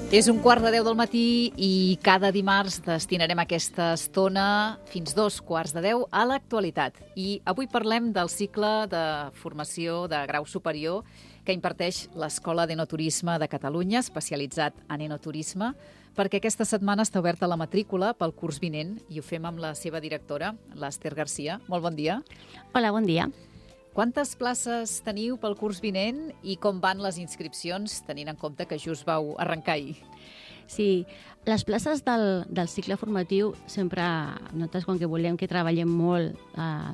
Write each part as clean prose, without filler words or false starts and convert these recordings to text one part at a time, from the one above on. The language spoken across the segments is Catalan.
És 1:15 del matí i cada dimarts destinarem aquesta estona fins 2:15 a l'actualitat. I avui parlem del cicle de formació de grau superior que imparteix l'Escola d'Enoturisme de Catalunya, especialitzat en enoturisme, perquè aquesta setmana està oberta la matrícula pel curs vinent i ho fem amb la seva directora, l'Ester Garcia. Molt bon dia. Hola, bon dia. Quantes places teniu pel curs vinent i com van les inscripcions, tenint en compte que just vau arrencar ahir? Sí, les places del cicle formatiu sempre, nosaltres quan que volem que treballem molt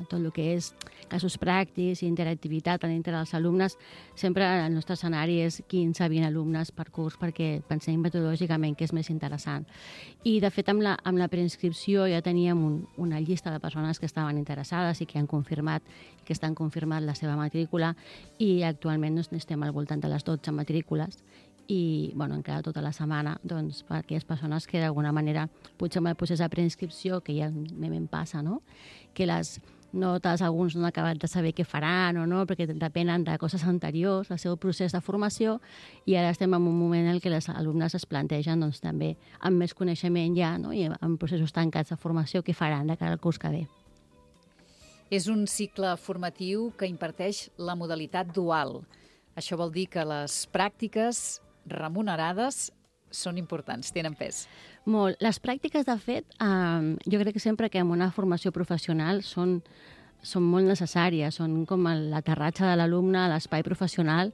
tot el que és casos pràctics i interactivitat dintre dels alumnes, sempre el nostre escenari és 15-20 alumnes per curs perquè pensem metodològicament que és més interessant. I de fet amb la preinscripció ja teníem una llista de persones que estaven interessades i que han confirmat que estan confirmat la seva matrícula i actualment estem al voltant de les 12 matrícules i bueno, encara tota la setmana doncs, per aquelles persones que d'alguna manera potser amb el procés de preinscripció, que ja em passa, no? Que les notes, alguns no han acabat de saber què faran o no, perquè depenen de coses anteriors, el seu procés de formació, i ara estem en un moment en què les alumnes es plantegen doncs, també amb més coneixement ja, no? I en processos tancats de formació, què faran de cara al curs que ve. És un cicle formatiu que imparteix la modalitat dual. Això vol dir que les pràctiques remunerades són importants, tenen pes. Molt. Les pràctiques, de fet, jo crec que sempre que en una formació professional són molt necessàries, són com l'aterratge de l'alumne a l'espai professional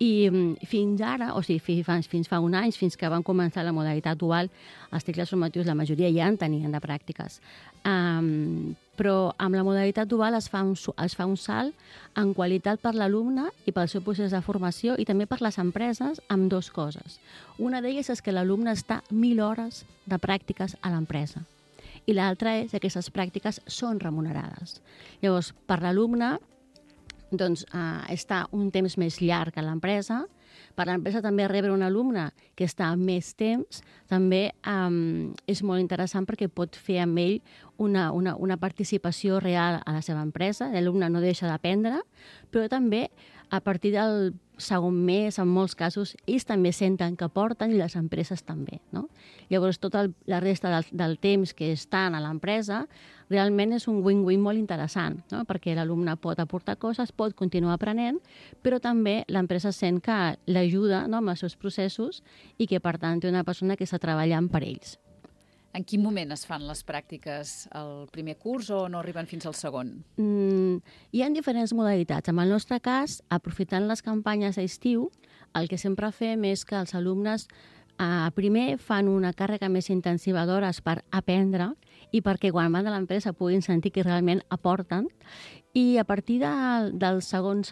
i fins ara, o sigui, fins fa un any, fins que van començar la modalitat dual, els cicles formatius, la majoria ja en tenien de pràctiques. Però amb la modalitat dual es fa un salt en qualitat per l'alumne i pel seu procés de formació i també per les empreses amb dues coses. Una d'elles és que l'alumne està 1.000 hores de pràctiques a l'empresa i l'altra és que aquestes pràctiques són remunerades. Llavors, per l'alumne, doncs, està un temps més llarg a l'empresa. Per l'empresa també rebre un alumne que està més temps també és molt interessant perquè pot fer amb ell una participació real a la seva empresa. L'alumne no deixa d'aprendre, però també a partir del segon mes, en molts casos, ells també senten que aporten i les empreses també, no? Llavors, tota la resta del temps que estan a l'empresa realment és un win-win molt interessant, no? Perquè l'alumne pot aportar coses, pot continuar aprenent, però també l'empresa sent que l'ajuda, no?, amb els seus processos i que, per tant, té una persona que està treballant per ells. En quin moment es fan les pràctiques? Al primer curs o no arriben fins al segon? Hi ha diferents modalitats. En el nostre cas, aprofitant les campanyes d'estiu, el que sempre fem és que els alumnes primer fan una càrrega més intensiva d'hores per aprendre i perquè quan van a l'empresa puguin sentir que realment aporten. I a partir del segon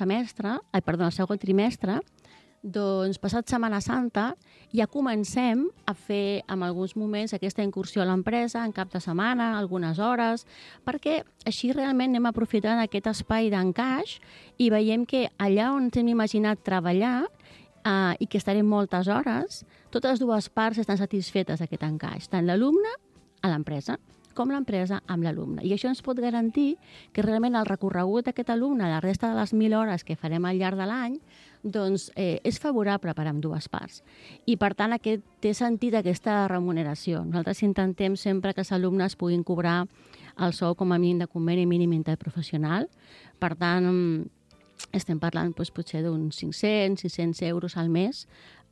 trimestre, doncs, passat Setmana Santa, ja comencem a fer en alguns moments aquesta incursió a l'empresa, en cap de setmana, algunes hores, perquè així realment anem aprofitant aquest espai d'encaix i veiem que allà on hem imaginat treballar i que estarem moltes hores, totes dues parts estan satisfetes d'aquest encaix, tant l'alumne a l'empresa com l'empresa amb l'alumne. I això ens pot garantir que realment el recorregut d'aquest alumne, la resta de les 1.000 hores que farem al llarg de l'any, doncs és favorable per a ambdues parts. I per tant té sentit aquesta remuneració. Nosaltres intentem sempre que els alumnes puguin cobrar el sou com a mínim de conveni mínim interprofessional. Per tant, estem parlant doncs, potser d'uns 500-600 euros al mes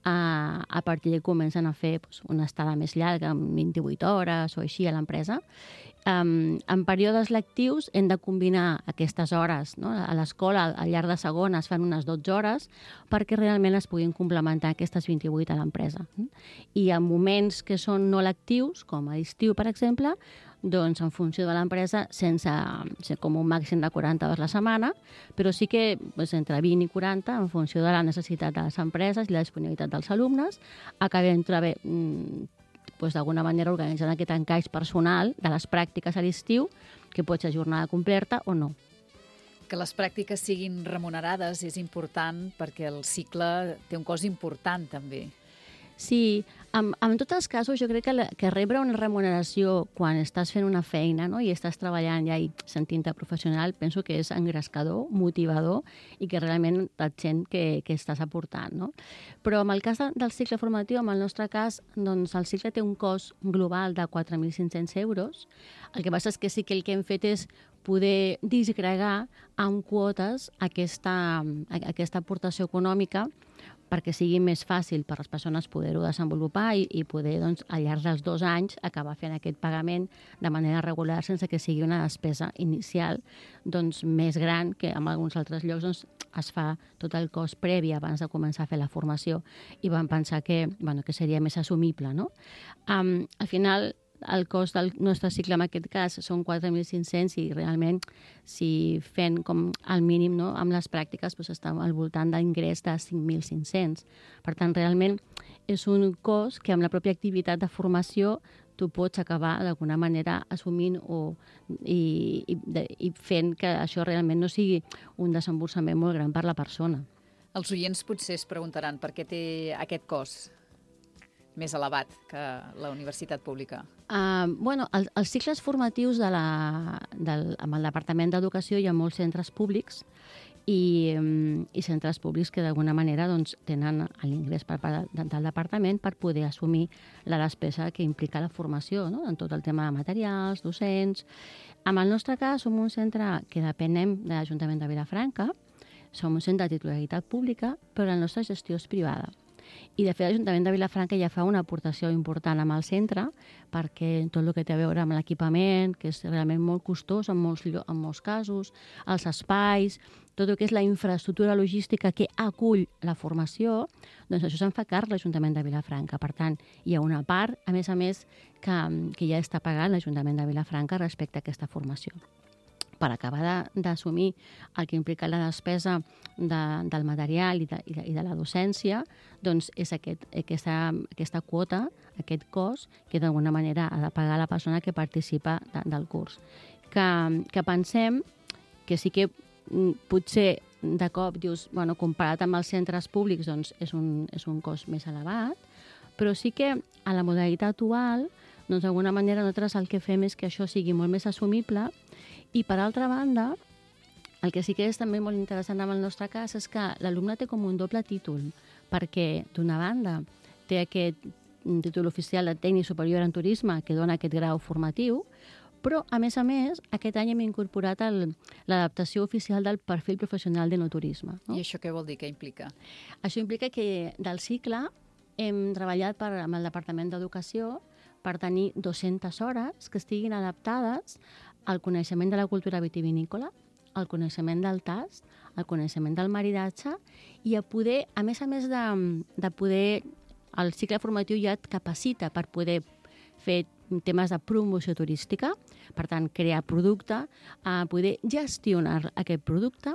a partir que comencen a fer una estada més llarga, amb 28 hores o així a l'empresa. En períodes lectius hem de combinar aquestes hores, no? A l'escola, al llarg de segon, es fan unes 12 hores perquè realment es puguin complementar aquestes 28 a l'empresa. I en moments que són no lectius, com a l'estiu, per exemple, doncs en funció de l'empresa, sense com un màxim de 40 hores la setmana, però sí que entre 20 i 40, en funció de la necessitat de les empreses i la disponibilitat dels alumnes, acabem d'alguna manera organitzant aquest encaix personal de les pràctiques a l'estiu, que pot ser jornada completa o no. Que les pràctiques siguin remunerades és important perquè el cicle té un cost important també. Sí, en tots els casos jo crec que rebre una remuneració quan estàs fent una feina, no?, i estàs treballant ja i sentint-te professional, penso que és engrescador, motivador i que realment et sent que estàs aportant, no? Però en el cas del cicle formatiu, en el nostre cas, doncs el cicle té un cost global de 4.500 euros. El que passa és que sí que el que hem fet és poder disgregar amb quotes aquesta aportació econòmica perquè sigui més fàcil per a les persones poder-ho desenvolupar i poder, doncs, al llarg dels 2 anys acabar fent aquest pagament de manera regular sense que sigui una despesa inicial doncs, més gran que en alguns altres llocs doncs, es fa tot el cost previ abans de començar a fer la formació i vam pensar que seria més assumible, no? Al final, el cost del nostre cicle en aquest cas són 4.500 i realment si fent com al mínim, no, amb les pràctiques doncs està al voltant d'ingrés de 5.500. Per tant, realment és un cost que amb la pròpia activitat de formació tu pots acabar d'alguna manera assumint i fent que això realment no sigui un desemborsament molt gran per la persona. Els oients potser es preguntaran per què té aquest cost més elevat que la universitat pública. Els cicles formatius amb el Departament d'Educació hi ha molts centres públics i centres públics que d'alguna manera doncs, tenen l'ingrés per part del departament per poder assumir la despesa que implica la formació, no?, en tot el tema de materials, docents. En el nostre cas, som un centre que depenem de l'Ajuntament de Vilafranca, som un centre de titularitat pública, però la nostra gestió és privada. I, de fet, l'Ajuntament de Vilafranca ja fa una aportació important amb el centre perquè tot el que té a veure amb l'equipament, que és realment molt costós en molts casos, els espais, tot el que és la infraestructura logística que acull la formació, doncs això se'n fa càrrec l'Ajuntament de Vilafranca. Per tant, hi ha una part, a més, que ja està pagant l'Ajuntament de Vilafranca respecte a aquesta formació. Per acabar d'assumir el que implica la despesa del material i de la docència, doncs és aquesta quota, aquest cost, que d'alguna manera ha de pagar la persona que participa del curs. Que pensem que sí que potser de cop dius, comparat amb els centres públics, doncs és un cost més elevat, però sí que a la modalitat dual, doncs d'alguna manera nosaltres el que fem és que això sigui molt més assumible. I, per altra banda, el que sí que és també molt interessant en el nostre cas és que l'alumne té com un doble títol, perquè, d'una banda, té aquest títol oficial de tècnic superior en turisme que dona aquest grau formatiu, però, a més, aquest any hem incorporat l'adaptació oficial del perfil professional d'enoturisme. No? I això què vol dir? Què implica? Això implica que del cicle hem treballat amb el Departament d'Educació per tenir 200 hores que estiguin adaptades al coneixement de la cultura vitivinícola, al coneixement del tast, al coneixement del maridatge i a poder, a més de poder, el cicle formatiu ja et capacita per poder fer temes de promoció turística, per tant, crear producte, poder gestionar aquest producte,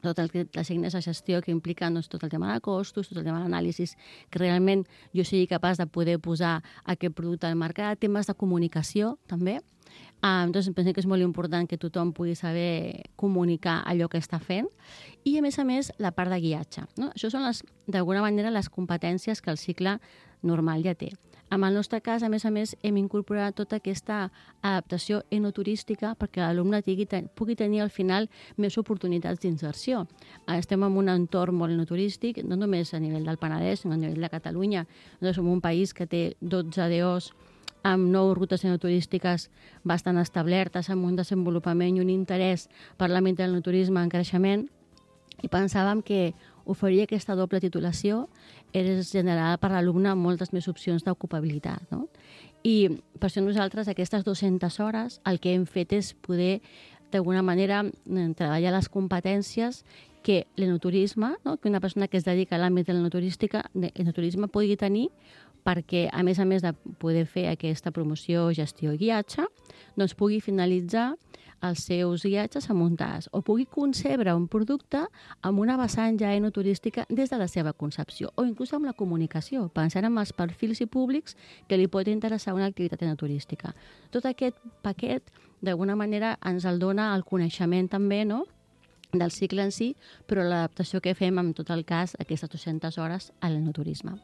totes les eines de gestió que impliquen doncs, tot el tema de costos, tot el tema d'anàlisis, que realment jo sigui capaç de poder posar aquest producte al mercat, temes de comunicació també. Doncs pensem que és molt important que tothom pugui saber comunicar allò que està fent i, a més, la part de guiatge. No? Això són, d'alguna manera, les competències que el cicle normal ja té. En el nostre cas, a més, hem incorporat tota aquesta adaptació enoturística perquè l'alumne pugui tenir al final més oportunitats d'inserció. Estem en un entorn molt enoturístic, no només a nivell del Penedès, sinó a nivell de Catalunya. Nosaltres som un país que té 12 DOs amb 9 rutes enoturístiques bastant establertes, amb un desenvolupament i un interès per l'àmbit del enoturisme en creixement, i pensàvem que oferir aquesta doble titulació és generar per l'alumne moltes més opcions d'ocupabilitat. No? I per això nosaltres, aquestes 200 hores, el que hem fet és poder, d'alguna manera, treballar les competències que l'enoturisme, no? Que una persona que es dedica a l'àmbit de l'enoturisme pugui tenir perquè, a més de poder fer aquesta promoció, gestió i guiatge, doncs pugui finalitzar els seus guiatges amb un tast o pugui concebre un producte amb una vessant ja enoturística des de la seva concepció o inclús amb la comunicació, pensant en els perfils i públics que li pot interessar una activitat enoturística. Tot aquest paquet, d'alguna manera, ens el dona el coneixement també, no?, del cicle en si, però l'adaptació que fem, en tot el cas, aquestes 200 hores a l'enoturisme.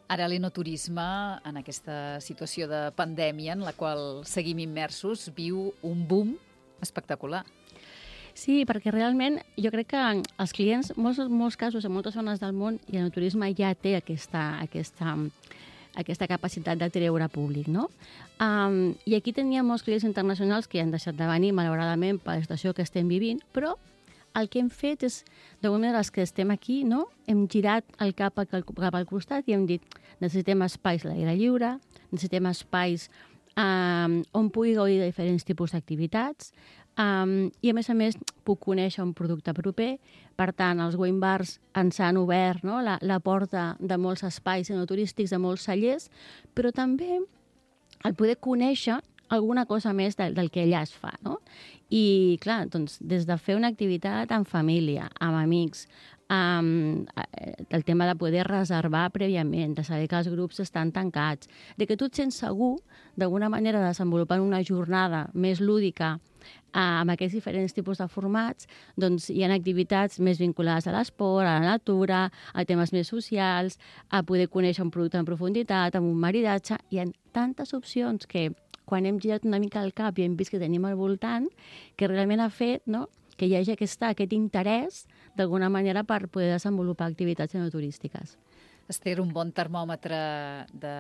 Ara l'enoturisme, en aquesta situació de pandèmia en la qual seguim immersos, viu un boom espectacular. Sí, perquè realment jo crec que els clients, molts casos, en moltes zones del món, i l'enoturisme ja té aquesta capacitat de treure públic, no? I aquí teníem molts clients internacionals que han deixat de venir, malauradament, per la situació que estem vivint, però el que hem fet és, d'alguna manera, els que estem aquí, no? Hem girat el cap al costat i hem dit necessitem espais a l'aire lliure, necessitem espais on pugui gaudir de diferents tipus d'activitats, i a més puc conèixer un producte proper. Per tant, els wine bars ens han obert, no, la porta de molts espais enoturístics, de molts cellers, però també el poder conèixer alguna cosa més del que allà es fa, no? I, clar, doncs, des de fer una activitat en família, amb amics, el tema de poder reservar prèviament, de saber que els grups estan tancats, de que tu et sents segur, d'alguna manera, desenvolupant una jornada més lúdica amb aquests diferents tipus de formats, doncs hi ha activitats més vinculades a l'esport, a la natura, a temes més socials, a poder conèixer un producte en profunditat, amb un maridatge. Hi ha tantes opcions que, quan hem girat una mica el cap i hem vist que tenim al voltant, que realment ha fet, no?, que hi hagi aquest interès, d'alguna manera, per poder desenvolupar activitats enoturístiques. Esther, un bon termòmetre de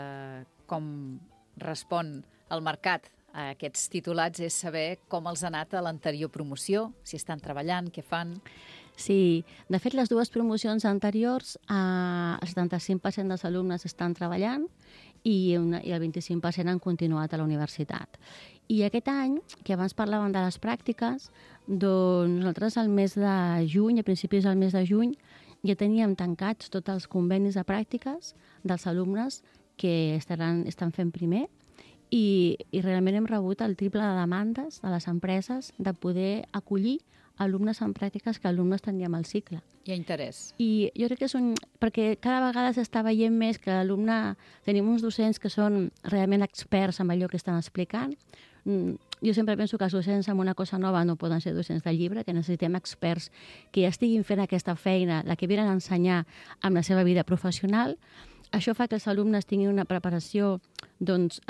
com respon el mercat a aquests titulats és saber com els ha anat a l'anterior promoció, si estan treballant, què fan. Sí, de fet, les dues promocions anteriors, el 75% dels alumnes estan treballant i el 25% han continuat a la universitat. I aquest any, que abans parlàvem de les pràctiques, doncs nosaltres al mes de juny, a principis del mes de juny, ja teníem tancats tots els convenis de pràctiques dels alumnes que estan fent primer, i realment hem rebut el triple de demandes de les empreses de poder acollir alumnes en pràctiques que alumnes teníem al cicle. Hi ha interès. I jo crec que perquè cada vegada s'està veient més que l'alumne... Tenim uns docents que són realment experts en allò que estan explicant. Jo sempre penso que els docents en una cosa nova no poden ser docents de llibre, que necessitem experts que ja estiguin fent aquesta feina, la que venen a ensenyar amb la seva vida professional. Això fa que els alumnes tinguin una preparació doncs,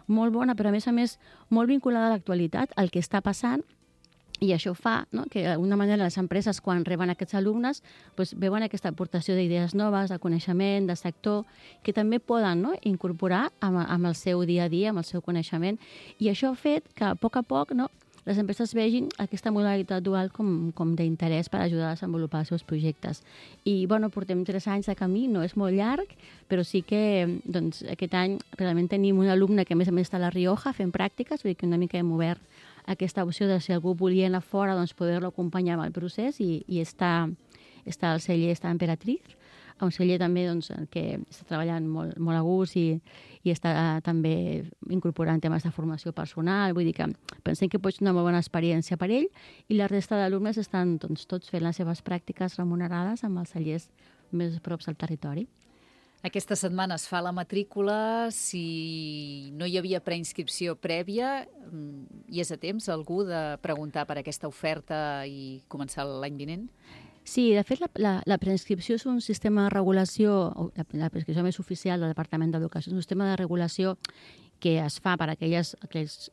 molt bona, però a més molt vinculada a l'actualitat, al que està passant, i això fa, no?, que d'alguna manera les empreses, quan reben aquests alumnes, doncs, veuen aquesta aportació d'idees noves, de coneixement, de sector, que també poden, no?, incorporar amb el seu dia a dia, amb el seu coneixement. I això ha fet que, a poc, no?, les empreses vegin aquesta modalitat dual com d'interès per ajudar a desenvolupar els seus projectes. I, portem 3 anys de camí, no és molt llarg, però sí que doncs, aquest any realment tenim un alumne que a més està a La Rioja fent pràctiques, vull dir que una mica hem obert aquesta opció de si algú volia anar fora, doncs poder-lo acompanyar amb el procés i està al celler, està a Emperatriz, un celler també doncs, que està treballant molt a gust i està també incorporant temes de formació personal. Vull dir que pensem que pot ser una molt bona experiència per ell, i la resta d'alumnes estan doncs, tots fent les seves pràctiques remunerades amb els cellers més props al territori. Aquesta setmana es fa la matrícula. Si no hi havia preinscripció prèvia, hi és a temps algú de preguntar per aquesta oferta i començar l'any vinent? Sí, de fet, la preinscripció és un sistema de regulació, la preinscripció més oficial del Departament d'Educació, és un sistema de regulació que es fa per a aquells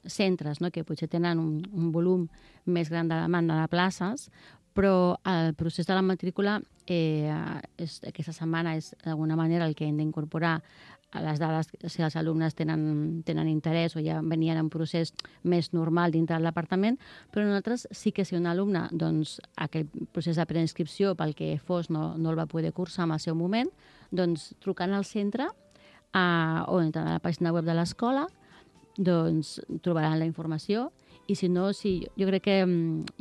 centres, no?, que potser tenen un volum més gran de demanda de places, però el procés de la matrícula aquesta setmana és d'alguna manera el que hem d'incorporar a les dades, si els alumnes tenen interès o ja venien en procés més normal dintre del departament, però nosaltres sí que si un alumne, doncs, aquell procés de preinscripció pel que fos no el va poder cursar en el seu moment, doncs trucant al centre o entrant a la pàgina web de l'escola, doncs trobaran la informació. I si no, jo crec que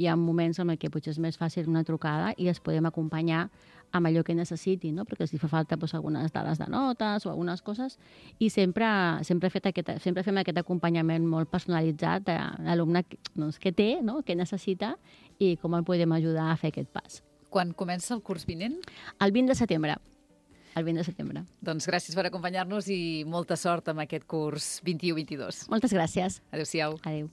hi ha moments en què potser és més fàcil una trucada i es podem acompanyar amb allò que necessiti, no? Perquè si fa falta algunes dades de notes o algunes coses, i sempre fem aquest acompanyament molt personalitzat de l'alumne que té, no?, que necessita i com el podem ajudar a fer aquest pas. Quan comença el curs vinent? El 20 de setembre. El 20 de setembre. Doncs gràcies per acompanyar-nos i molta sort amb aquest curs 21-22. Moltes gràcies. Adéu-siau. Adéu.